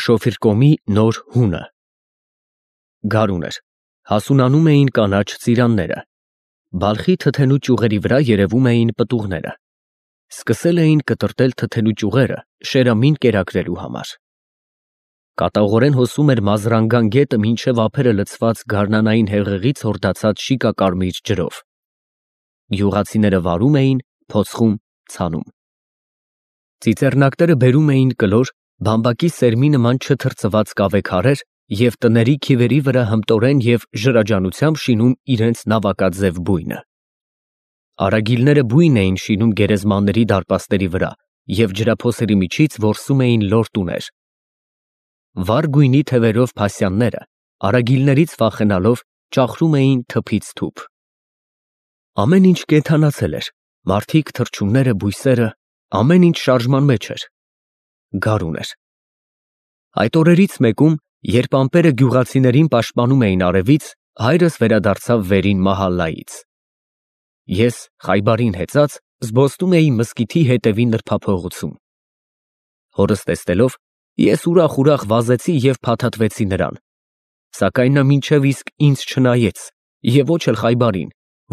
Շոֆիրկոմի նոր հունը։ Գարուն էր, հասունանում էին կանաչ ծիրանները, բալխի թթենու ճյուղերի վրա երևում էին պտուղները, սկսել էին կտրտել թթենու ճյուղերը շերամին կերակրելու համար։ Կատաղորեն հոսում էր Մազրանգան գետը մինչև ափերը լցված գարնանային հեղեղից հորդացած շիկակարմիր ջրով։ Գյուղացիները վարում էին, փոցխում, ցանում։ Ծիծեռնակները բերում էին կլոր, բամբակի սերմի նման չթրծված կավե քարեր և տների քիվերի վրա հմտորեն և ժրաջանությամբ շինում իրենց նավակաձև բույնը։ Արագիլները բույն էին շինում գերեզմանների դարպասների վրա և ջրափոսերի միջից որսում էին լոր տուներ։ Վառ գույնի թևերով փասյանները, արագիլներից վախենալով, ճախրում էին թփից թուփ։ Ամեն ինչ կենդանացել էր, մարդիկ, թռչունները, բույսերը, ամեն ինչ շարժման մեջ էր։ Գարուն էր։ Այդ օրերից մեկում, երբ ամպերը գյուղացիներին պաշտպանում էին արևից, հայրս վերադարձավ վերին մահալլայից։ Ես, Խայբարին հեծած, զբոսնում էի մզկիթի հետևի նրբափողոցում։ Հորս տեսնելով, ես ուրախ վազեցի և փաթաթվեցի նրան, սակայն նա մինչև իսկ ինձ չնայեց և ոչ էլ Խայբարին,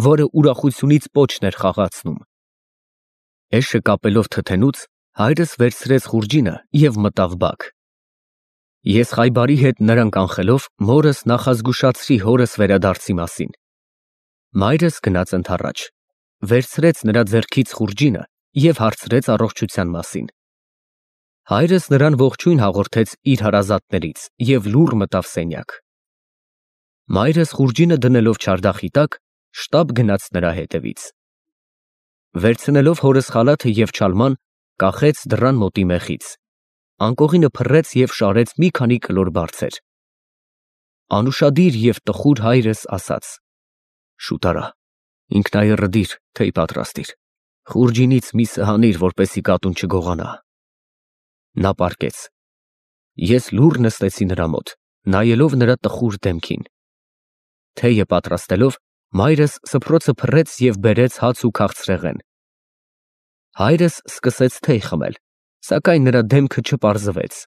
որը ուրախությունից պոչն էր խաղացնում։ Էշը կապելով թթենուց, հայրս վերցրեց խուրջինը և մտավ բակ։ Ես Խայբարի հետ նրան կանխելով, մորս նախազգուշացրի հորս վերադարձի մասին։ Մայրս գնաց ընդառաջ, վերցրեց նրա ձեռքից խուրջինը և հարցրեց առողջության մասին։ Հայրս նրան ողջույն հաղորդեց իր հարազատներից և լուռ մտավ սենյակ։ Մայրս խուրջինը դնելով չարդախի տակ, շտապ գնաց նրա հետևից։ Վերցնելով հորս խալաթը և չալման, կախեց դռան մոտի մեխից, անկողինը փռեց և շարեց մի քանի կլոր բարձեր։ Անուշադիր և տխուր հայրս ասաց. «Շուտ արա, ինքնայեռը դիր, թեյ պատրաստիր, խուրջինից մի սհանիր, որպեսզի կատուն չգողանա»։ Նա պառկեց։ Ես լուռ նստեցի նրա մոտ, նայելով նրա տխուր դեմքին։ Թեյը պատրաստելով, մայրս սփռոցը փռեց և բերեց հաց ու քաղցրեղեն։ Հայրս սկսեց թեյ խմել, սակայն նրա դեմքը չպարզվեց։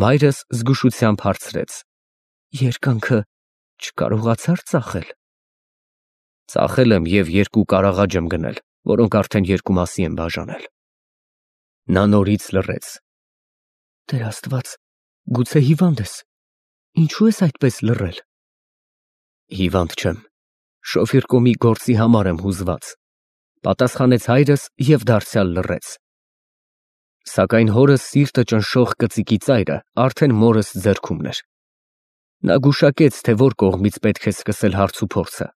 Մայրս զգուշությամբ հարցրեց. «Երկանքը չկարողացա՞ր ծախել»։ Ծախել եմ և 2 կարաղաջ եմ գնել, որոնք արդեն 2 մասի եմ բաժանել։ Նա նորից լռեց։ Տեր Աստված, գուցե հիվանդ ես, ինչու ես այդպես լռել։ Հիվանդ չեմ, Շոֆիրկոմի գործի համար եմ հուզված, պատասխանեց հայրս և դարձյալ լռեց։ Սակայն հորս սիրտը ճնշող կծիկի ծայրը արդեն մորս ձեռքումն էր։ Նա գուշակեց, թե որ կողմից պետք է սկսել հարց ու փորձը։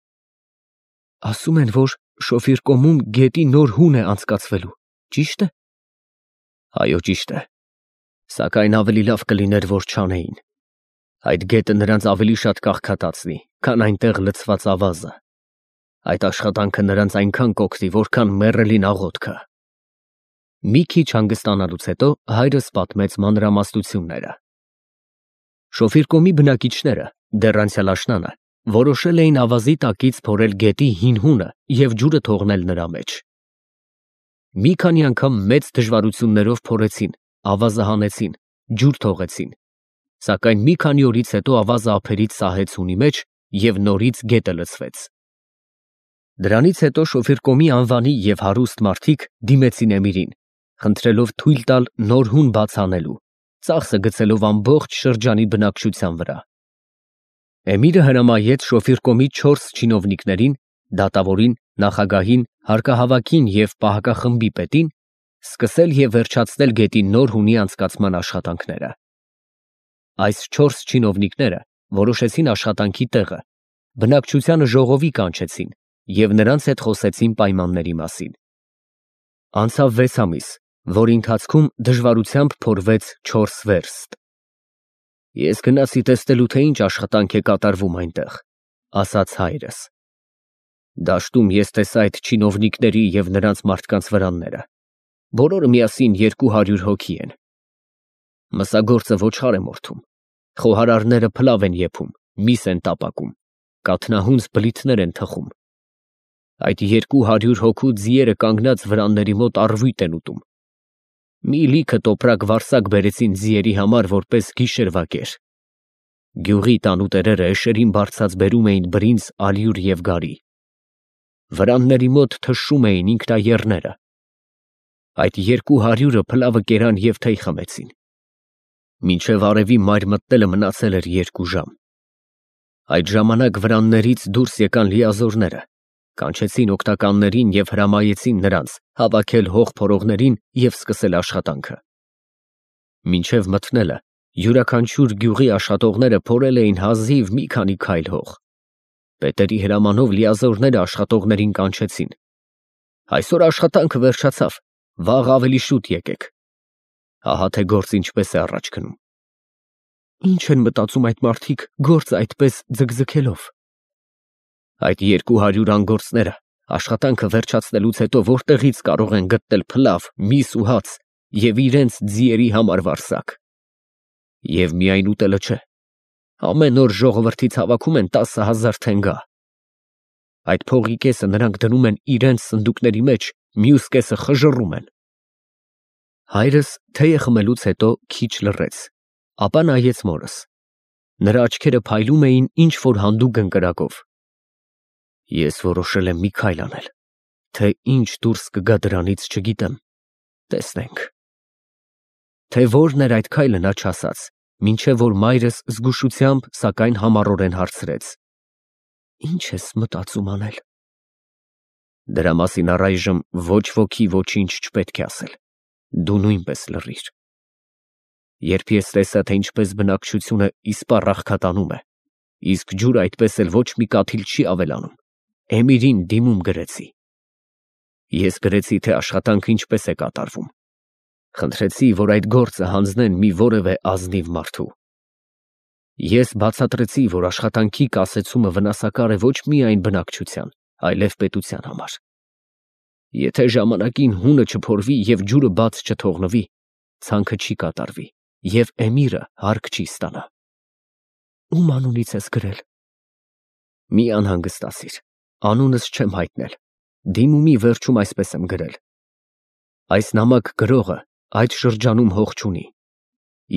Ասում են, որ Շոֆիրկոմում գետի նոր հուն է անցկացվելու, ճի՞շտ է։ Այո, ճիշտ է, սակայն ավելի լավ կլիներ, որ չանեին։ Այդ գետը նրանց ավելի շատ կաղքատացնի, քան այնտեղ լցված ավազը։ Այդ աշխատանքը նրանց այնքան կօգնի, որքան մեռելին աղոթքը։ Մի քիչ հանգստանալուց հետո հայրս պատմեց մանրամասնությունները։ Շոֆիրկոմի բնակիչները, դեռ անցյալ աշնանը, որոշել էին ավազի տակից փորել գետի հին հունը և ջուրը թողնել նրա մեջ։ Մի քանի անգամ մեծ դժվարություններով փորեցին, ավազը հանեցին, ջուր թողեցին, սակայն մի քանի օրից հետո ավազը ափերից սահեց հունի մեջ և նորից գետը լցվեց։ Դրանից հետո Շոֆիրկոմի անվանի և հարուստ մարդիկ դիմեցին Էմիրին, խնդրելով թույլ տալ նոր հուն բաց անելու, ծախսը գցելով ամբողջ շրջանի բնակչության վրա։ Էմիրը հրամայեց Շոֆիրկոմի 4 չինովնիկներին, դատավորին, նախագահին, հարկահավաքին և պահակախմբի պետին սկսել և վերջացնել գետի նոր հունի անցկացման աշխատանքները։ Այս 4 չինովնիկները որոշեցին աշխատանքի տեղը, բնակչությանը ժողովի կանչեցին և նրանց հետ խոսեցին պայմանների մասին։ Անցավ 6 ամիս, որի ընթացքում դժվարությամբ փորվեց 4 վերստ։ Ես գնացի տեսնելու, թե ինչ աշխատանք է կատարվում այնտեղ, ասաց հայրս։ Դաշտում ես տեսա այդ չինովնիկների և նրանց մարդկանց վրանները, բոլորը միասին 200 հոգի են։ Մսագործը ոչխար է մորթում, խոհարարները փլավ են եփում, միս են տապակում, կաթնահունձ բլիթներ են թխում։ Այդ 200 հոգու ձիերը կանգնած վրանների մոտ առվույտ են ուտում։ Մի լիքը տոպրակ վարսակ բերեցին ձիերի համար որպես գիշերվա կեր։ Գյուղի տանուտերերը էշերին բարձած բերում էին բրինձ, ալյուր և գարի։ Վրանների մոտ թշում էին ինքնաեռները։ Այդ 200-ը փլավը կերան և թեյ խմեցին։ Մինչև արևի մայր մտնելը մնացել էր 2 ժամ։ Այդ ժամանակ վրաններից դուրս եկան լիազորները, կանչեցին օգնականներին և հրամայեցին նրանց հավաքել հող փորողներին և սկսել աշխատանքը։ Մինչև մթնելը յուրաքանչյուր գյուղի աշխատողները փորել էին հազիվ մի քանի քայլ հող։ Պետերի հրամանով լիազորները աշխատողներին կանչեցին. «Այսօր աշխատանքը վերջացավ, վաղ ավելի շուտ եկեք»։ Ահա թե գործը ինչպես է առաջ գնում։ Ինչ են մտածում այդ մարդիկ գործը այդպես ձգձգելով։ Այդ 200 անգործները աշխատանքը վերջացնելուց հետո որտեղից կարող են գտնել փլավ, միս ու հաց և իրենց ձիերի համար վարսակ։ Եվ միայն ուտելը չէ, ամեն օր ժողովրդից հավաքում են 10,000 թենգա։ Այդ փողի կեսը նրանք դնում են իրենց սնդուկների մեջ, մյուս կեսը խժռում են։ Հայրս թեյը խմելուց հետո քիչ լռեց, ապա նայեց մորս։ Նրա աչքերը փայլում էին ինչ-որ հանդուգն կրակով։ Ես որոշել եմ մի քայլ անել, թե ինչ դուրս կգա դրանից չգիտեմ, տեսնենք։ Թե որն էր այդ քայլը նա չասաց, մինչև որ մայրս զգուշությամբ, սակայն համառորեն հարցրեց. Ինչ ես մտածում անել։ Դրա մասին առայժմ ոչ ոքի ոչինչ չպետք է ասել, դու նույնպես լռիր։ Երբ ես տեսա, թե ինչպես բնակչությունը իսպառ աղքատանում է, իսկ ջուրը այդպես էլ ոչ մի կաթիլ չի ավելանում, Էմիրին դիմում գրեցի։ Ես գրեցի, թե աշխատանքը ինչպես է կատարվում։ Խնդրեցի, որ այդ գործը հանձնեն մի որևէ ազնիվ մարդու։ Ես բացատրեցի, որ աշխատանքի կասեցումը վնասակար է ոչ միայն բնակչության, այլև պետության համար։ Եթե ժամանակին հունը չփորվի և ջուրը բաց չթողնվի, ցանքը չի կատարվի և Էմիրը հարկ չի ստանա։ Ում անունից ես գրել։ Մի անհանգստացիր, անունս չեմ հայտնել, դիմումի վերջում այսպես եմ գրել. այս նամակ գրողը այդ շրջանում հող չունի։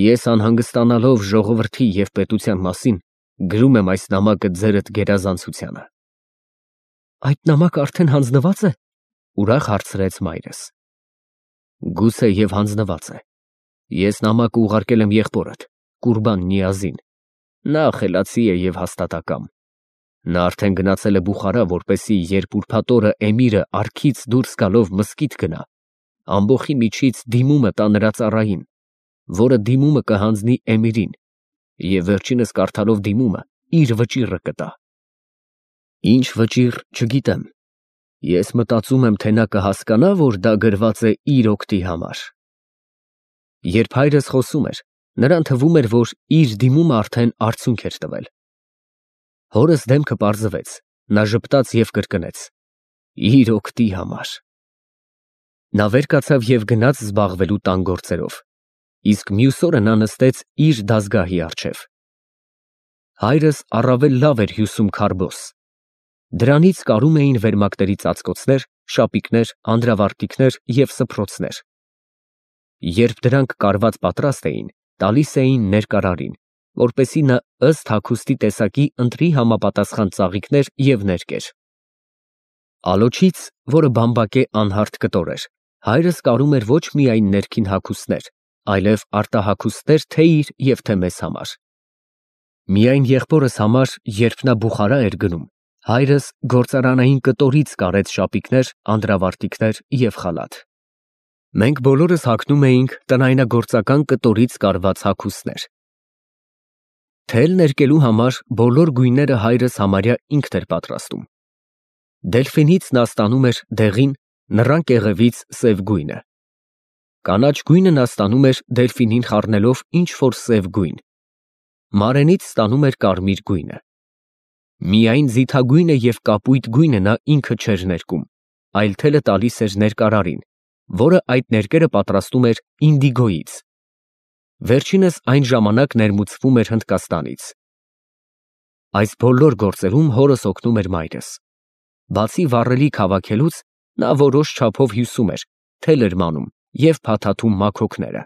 Ես անհանգստանալով ժողովրդի և պետության մասին, գրում եմ այս նամակը ձերդ գերազանցությանը։ Այդ նամակը արդեն հանձնված է, ուրախ հարցրեց մայրս։ Գուցե և հանձնված է։ Ես նամակը ուղարկել եմ եղբորդ, Կուրբան Նիազին։ Նա խելացի է և հաստատակամ։ Նա արդեն գնացել է Բուխարա, որպեսզի երբ ուրբաթ օրը Էմիրը արքից դուրս գալով մզկիթ գնա, ամբոխի միջից դիմումը տա նրա ծառային, որը դիմումը կհանձնի Էմիրին, և վերջինս կարդալով դիմումը իր վճիռը կտա։ Ինչ վճիռ, չգիտեմ։ Ես մտածում եմ, թե նա կհասկանա, որ դա գրված է իր օգտի համար։ Երբ հայրս խոսում էր, նրան թվում էր, որ իր դիմումը արդեն արդյունք էր տվել։ Հորս դեմքը պարզվեց, նա ժպտաց և կրկնեց. իր օգտի համար։ Նա վեր կացավ և գնաց զբաղվելու տան գործերով, իսկ մյուս օրը նա նստեց իր դազգահի առջև։ Հայրս առավել լավ էր հյուսում քարբոս։ Դրանից կարում էին վերմակների ծածկոցներ, շապիկներ, անդրավարտիքներ և սփռոցներ։ Երբ դրանք կարված պատրաստ էին, տալիս էին ներկարարին, որպեսզի նա ըստ հագուստի տեսակի ընտրի համապատասխան ծաղիկներ և ներկեր։ Ալոչից, որը բամբակե անհարթ կտոր էր, հայրս կարում էր ոչ միայն ներքին հագուստներ, այլև արտահագուստներ թե իր և թե մեզ համար։ Միայն եղբորս համար, երբ նա Բուխարա էր գնում, հայրս գործարանային կտորից կարեց շապիկներ, անդրավարտիքներ և խալաթ։ Մենք բոլորս հագնում էինք տնայնագործական կտորից կարված հագուստներ։ Թել ներկելու համար բոլոր գույները հայրս համարյա ինքն էր պատրաստում։ Դելֆինից նա ստանում էր դեղին, նռան կեղևից սև գույնը։ Կանաչ գույնը նա ստանում էր դելֆինին խառնելով ինչ-որ սև գույն։ Մարենից ստանում էր կարմիր գույնը։ Միայն ձիթագույնը և կապույտ գույնը նա ինքը չէր ներկում, այլ թելը տալիս էր ներկարարին, որը այդ ներկերը պատրաստում էր ինդիգոյից։ Վերջինս այն ժամանակ ներմուծվում էր Հնդկաստանից։ Այս բոլոր գործերում հորս օգնում էր մայրս։ Բացի վառելիք հավաքելուց, նա որոշ չափով հյուսում էր, թել էր մանում և փաթաթում մաքոքները։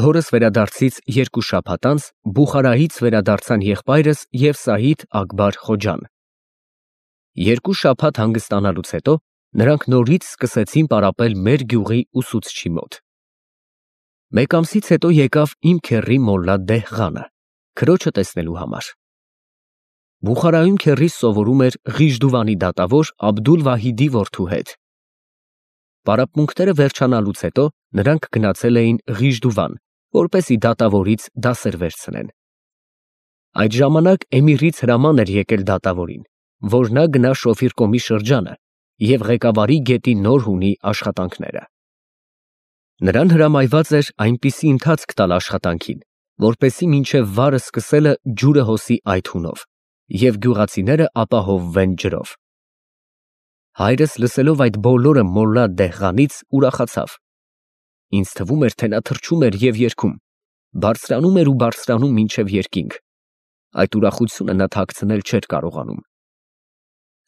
Հորս վերադարձից 2 շաբաթ անց Բուխարայից վերադարձան եղբայրս և Սայիդ Ակբար Խոջան։ 2 շաբաթ հանգստանալուց հետո նրանք նորից սկսեցին պարապել մեր գյուղի ուսուցչի մոտ։ Մեկ ամսից հետո եկավ իմ քեռի մոլլա Դեհղանը, քրոջը տեսնելու համար։ Բուխարայում քեռիս սովորում էր Ղիժդուվանի դատավոր Աբդուլ֊Վահիդի որդու հետ։ Պարապմունքները վերջանալուց հետո նրանք գնացել էին Ղիժդուվան, որպեսզի դատավորից դասեր վերցնեն։ Այդ ժամանակ էմիրից հրաման էր եկել դատավորին, որ նա գնա Շոֆիր շրջանը և Ղեկավարի գետի նոր հունի աշխատանքները։ Նրան հրամայված էր այնպիսի ընթացք տալ աշխատանքին, որպեսզի մինչև վարը սկսելը ջուրը հոսի այդ հունով, և գյուղացիները ապահովվեն ջրով։ Հայրս լսելով այդ բոլորը մոլլա Դեհղանից ուրախացավ։ Ինձ թվում էր, թե նա թռչում էր և երգում, բարձրանում էր ու բարձրանում մինչև երկինք։ Այդ ուրախությունը նա թաքցնել չէր կարողանում։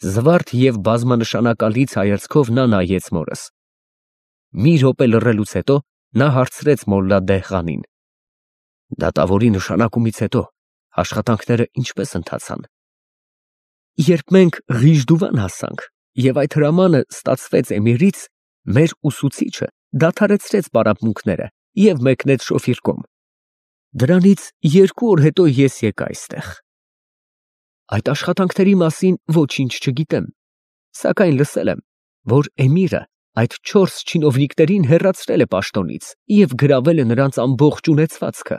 Զվարթ և բազմանշանակալից հայացքով նա նայեց մորս։ Մի րոպե լռելուց հետո նա հարցրեց մոլլա Դեհղանին. «Դատավորի նշանակումից հետո աշխատանքները ինչպե՞ս ընթացան»։ Երբ մենք Ղիժդուվան հասանք և այդ հրամանը ստացվեց էմիրից, մեր ուսուցիչը դադարեցրեց պարապմունքները և մեկնեց Շոֆիր։ Դրանից 2 օր հետո ես եկա այստեղ։ Այդ աշխատանքների մասին ոչինչ չգիտեմ, սակայն լսել եմ, որ էմիրը այդ 4 չինովնիկներին հեռացրել է պաշտոնից և գրավել է նրանց ամբողջ ունեցվածքը։